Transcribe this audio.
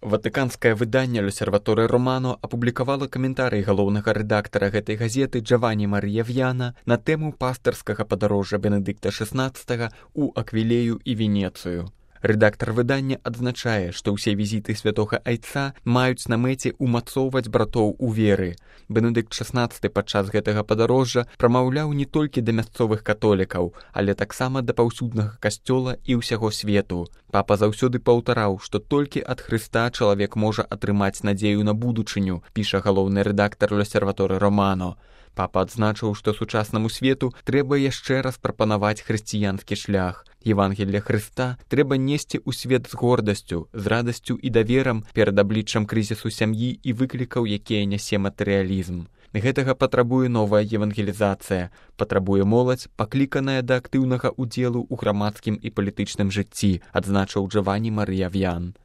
Ватыканскае выданне «L'Osservatore Romano» апублікавала каментарый галоўнага рэдактара гэтай газеты Джавані Марія В'яна на тэму пастырскага падарожжа Бенедыкта XVI ў Аквілею і Венецыю. Рэдактар выдання адзначае, што ўсе візіты святога айца маюць на мэце умацоўваць братоў у веры. Бенедыкт XVI падчас гэтага падарожжа прамаўляў не толькі да мясцовых католікаў, але таксама да паўсюднага касцёла і ўсяго свету. Папа заўсёды паўтараў, што толькі ад Хрыста чалавек можа атрымаць надзею на будучыню, піша галоўны рэдактар «L'Osservatore Romano». Папа адзначыў, што сучаснаму свету трэба яшчэ раз прапанаваць хрысціянскі шлях. Евангелле Хрыста трэба несці ў свет з гордасцю, з радасцю і даверам перад абліччам крызісу сям'і і выклікаў, якія нясе матэрыялізм. Гэтага патрабуе новая евангелізацыя, патрабуе моладзь, пакліканая да актыўнага ўдзелу ў грамадскім і палітычным жыцці, адзначыў Джавані Марія В'ян.